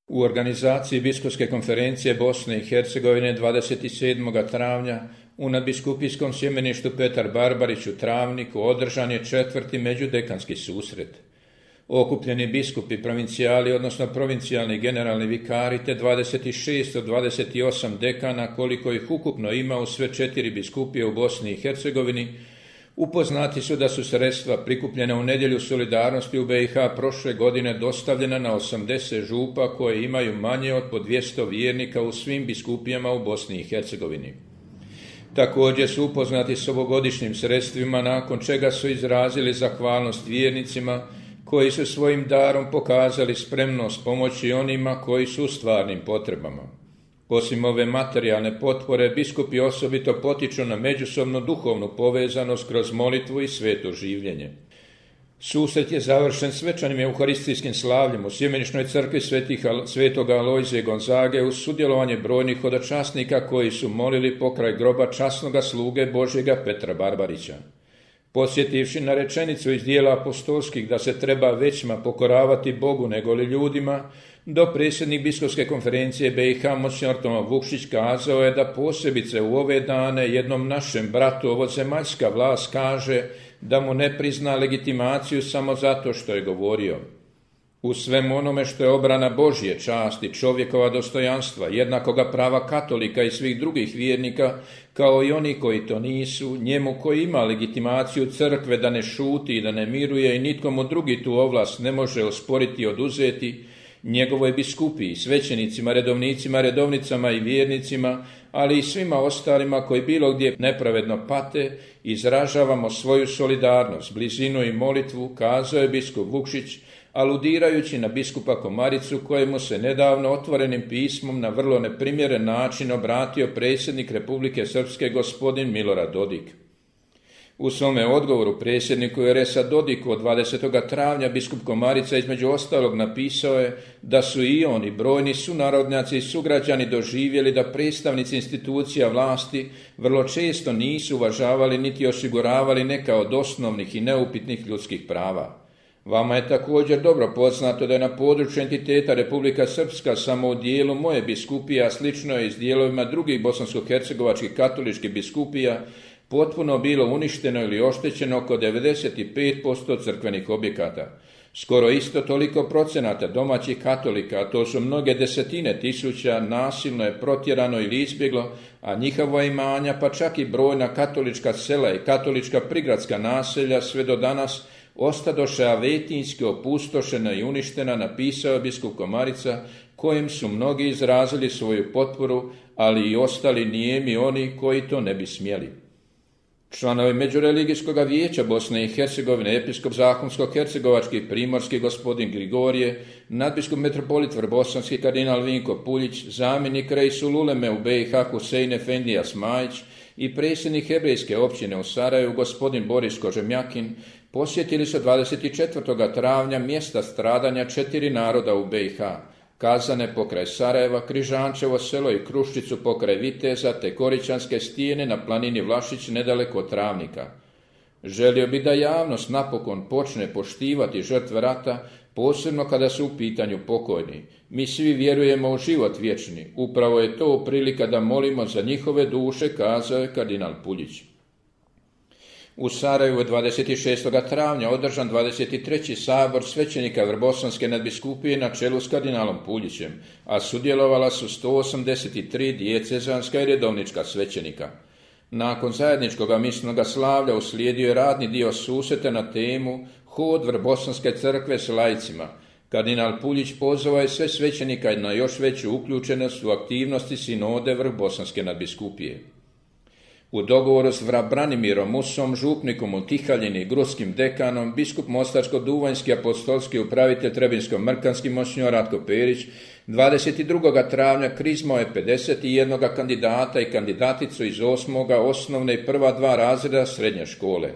U organizaciji Biskupske konferencije Bosne i Hercegovine 27. travnja u nadbiskupijskom sjemeništu Petar Barbarić u Travniku održan je 4. međudekanski susret. Okupljeni biskupi, provincijali, odnosno provincijalni generalni vikari, te 26 od 28 dekana, koliko ih ukupno ima u sve 4 biskupije u Bosni i Hercegovini, upoznati su da su sredstva prikupljena u nedjelju solidarnosti u BiH prošle godine dostavljena na 80 župa koje imaju manje od po 200 vjernika u svim biskupijama u Bosni i Hercegovini. Također su upoznati s ovogodišnjim sredstvima, nakon čega su izrazili zahvalnost vjernicima koji su svojim darom pokazali spremnost pomoći onima koji su u stvarnim potrebama. Osim ove materijalne potpore, biskupi osobito potiču na međusobnu duhovnu povezanost kroz molitvu i sveto življenje. Susret je završen svečanim euharistijskim slavljem u sjemenišnoj crkvi svetoga Alojzije Gonzage uz sudjelovanje brojnih hodočasnika koji su molili pokraj groba časnoga sluge Božjega Petra Barbarića. Podsjetivši na rečenicu iz dijela apostolskih da se treba većma pokoravati Bogu negoli ljudima, dopredsjednik Biskupske konferencije BiH Monsignor Toma Vukšić kazao je da posebice u ove dane jednom našem bratu ovozemaljska vlast kaže da mu ne prizna legitimaciju samo zato što je govorio. U svemu onome što je obrana Božje časti, čovjekova dostojanstva, jednakoga prava katolika i svih drugih vjernika, kao i oni koji to nisu, njemu koji ima legitimaciju crkve da ne šuti i da ne miruje i nitko mu drugi tu ovlast ne može osporiti i oduzeti, njegovoj biskupiji, svećenicima, redovnicima, redovnicama i vjernicima, ali i svima ostalima koji bilo gdje nepravedno pate, izražavamo svoju solidarnost, blizinu i molitvu, kazao je biskup Vukšić, aludirajući na biskupa Komaricu kojemu se nedavno otvorenim pismom na vrlo neprimjeren način obratio predsjednik Republike Srpske gospodin Milorad Dodik. U svome odgovoru predsjedniku RS-a Dodiku od 20. travnja biskup Komarica između ostalog napisao je da su i oni brojni sunarodnjaci i sugrađani doživjeli da predstavnici institucija vlasti vrlo često nisu uvažavali niti osiguravali neka od osnovnih i neupitnih ljudskih prava. Vama je također dobro poznato da je na području entiteta Republika Srpska samo u dijelu moje biskupije, a slično je i s dijelovima drugih bosansko-hercegovačkih katoličkih biskupija, potpuno bilo uništeno ili oštećeno oko 95% crkvenih objekata. Skoro isto toliko procenata domaćih katolika, a to su mnoge desetine tisuća, nasilno je protjerano ili izbjeglo, a njihova imanja, pa čak i brojna katolička sela i katolička prigradska naselja sve do danas ostadoše avetinski opustošena i uništena, napisao biskup Komarica, kojem su mnogi izrazili svoju potporu, ali i ostali nijemi oni koji to ne bi smjeli. Članovi Međureligijskog vijeća Bosne i Hercegovine, episkop Zahumsko-hercegovački primorski gospodin Grigorije, nadbiskup metropolit Vrbosanski kardinal Vinko Puljić, zamjenik reisul uleme u BiH Husein Efendija Smajić i predsjednik hebrejske općine u Sarajevu gospodin Boris Kožemjakin posjetili su 24. travnja mjesta stradanja 4 naroda u BiH, Kazane pokraj Sarajeva, Križančevo selo i Kruščicu pokraj Viteza te Koričanske stijene na planini Vlašić nedaleko od Travnika. Želio bi da javnost napokon počne poštivati žrtve rata, posebno kada su u pitanju pokojni. Mi svi vjerujemo u život vječni, upravo je to prilika da molimo za njihove duše, kazao je kardinal Puljić. U Sarajevu je 26. travnja održan 23. sabor svećenika Vrbosanske nadbiskupije na čelu s kardinalom Puljićem, a sudjelovala su 183 dijecezanska i redovnička svećenika. Nakon zajedničkog misnog slavlja uslijedio je radni dio susreta na temu Hod Vrbosanske crkve s laicima. Kardinal Puljić pozvao je sve svećenika na još veću uključenost u aktivnosti sinode Vrbosanske nadbiskupije. U dogovoru s Branimirom Musom, župnikom u Tihaljini i gruskim dekanom, biskup Mostarsko-Duvanjski apostolski upravitelj Trebinsko-Mrkanski monsignor Ratko Perić 22. travnja krizmao je 51 kandidata i kandidaticu iz 8. osnovne i prva 2 razreda srednje škole.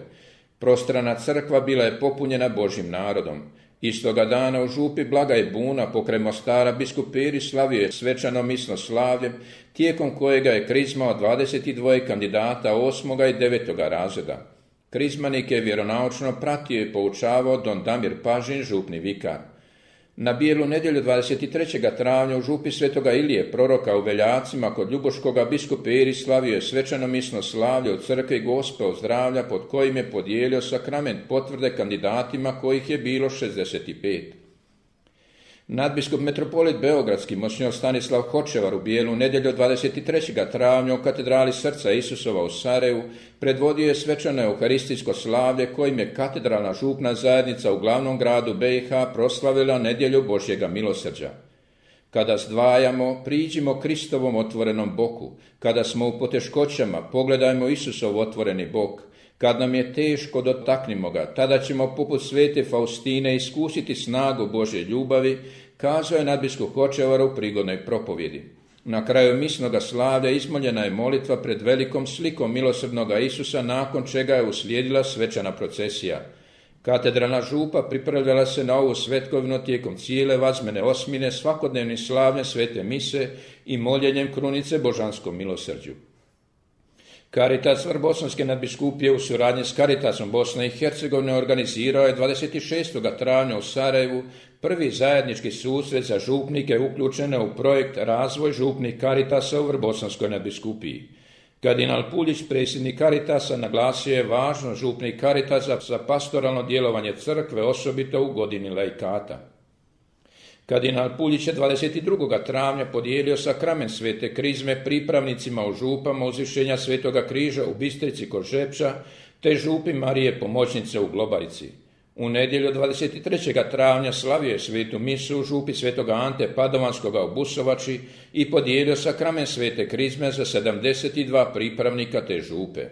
Prostrana crkva bila je popunjena Božjim narodom. Istoga dana u župi Blagaj Buna pokraj Mostara biskup Perić slavio je svečano misno slavlje, tijekom kojega je krizmao 22 kandidata 8. i 9. razreda. Krizmanik je vjeronaučno pratio i poučavao don Damir Pažin, župni vikar. Na Bijelu nedjelju 23. travnja u župi Svetoga Ilije, proroka u Veljacima kod Ljubuškoga, biskup Eri slavio je svečano misno slavlje u crkvi Gospe ozdravlja, pod kojim je podijelio sakrament potvrde kandidatima kojih je bilo 65. Nadbiskup metropolit Beogradski monsignor Stanislav Hočevar u Bijelu nedjelju 23. travnja u katedrali Srca Isusova u Sarajevu predvodio je svečano euharistijsko slavlje kojim je katedralna župna zajednica u glavnom gradu BiH proslavila nedjelju Božjega milosrđa. Kada zdvajamo, priđimo Kristovom otvorenom boku. Kada smo u poteškoćama, pogledajmo Isusov otvoreni bok. Kad nam je teško, dotaknimo ga, tada ćemo poput svete Faustine iskusiti snagu Božje ljubavi, kazao je nadbiskup Hočevar u prigodnoj propovjedi. Na kraju misnoga slavlja izmoljena je molitva pred velikom slikom milosrdnoga Isusa, nakon čega je uslijedila svečana procesija. Katedralna župa pripravljala se na ovu svetkovinu tijekom cijele vazmene osmine, svakodnevnim slavljem svete mise i moljenjem krunice Božanskom milosrđu. Caritas Vrbosanske nadbiskupije u suradnji s Caritasom Bosne i Hercegovine organizirao je 26. travnja u Sarajevu prvi zajednički susret za župnike uključene u projekt Razvoj župnih Caritasa u Vrbosanskoj nadbiskupiji. Kardinal Puljić, predsjednik Caritasa, naglasio je važnost župnih Caritasa za pastoralno djelovanje crkve, osobito u godini laikata. Kardinal Puljić je 22. travnja podijelio sakrament svete krizme pripravnicima u župama Uzvišenja Svetoga križa u Bistrici kod Žepča te župi Marije Pomoćnice u Globarici. U nedjelju 23. travnja slavio je svetu misu u župi Svetoga Ante Padovanskoga u Busovači i podijelio sakrament svete krizme za 72 pripravnika te župe.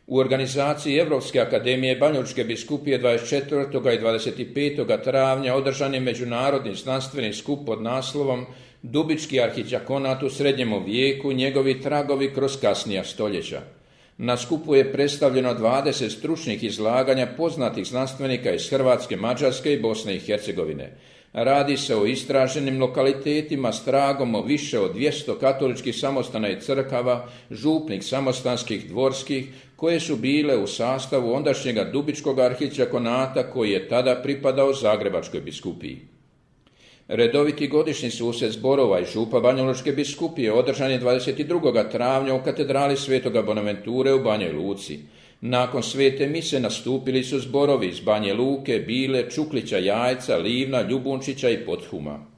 U organizaciji Europske akademije Banjalučke biskupije 24. i 25. travnja održan je međunarodni znanstveni skup pod naslovom Dubički arhidjakonat u srednjem vijeku, njegovi tragovi kroz kasnija stoljeća. Na skupu je predstavljeno 20 stručnih izlaganja poznatih znanstvenika iz Hrvatske, Mađarske i Bosne i Hercegovine. Radi se o istraženim lokalitetima s tragom o više od 200 katoličkih samostana i crkava, župnih samostanskih dvorskih, koje su bile u sastavu ondašnjega Dubičkog arhidjakonata koji je tada pripadao Zagrebačkoj biskupiji. Redoviti godišnji susret zborova i župa Banjalučke biskupije održan je 22. travnja u katedrali Svetoga Bonaventure u Banja Luci. Nakon svete mise nastupili su zborovi iz Banje Luke, Bile, Čuklića, Jajca, Livna, Ljubunčića i Pothuma.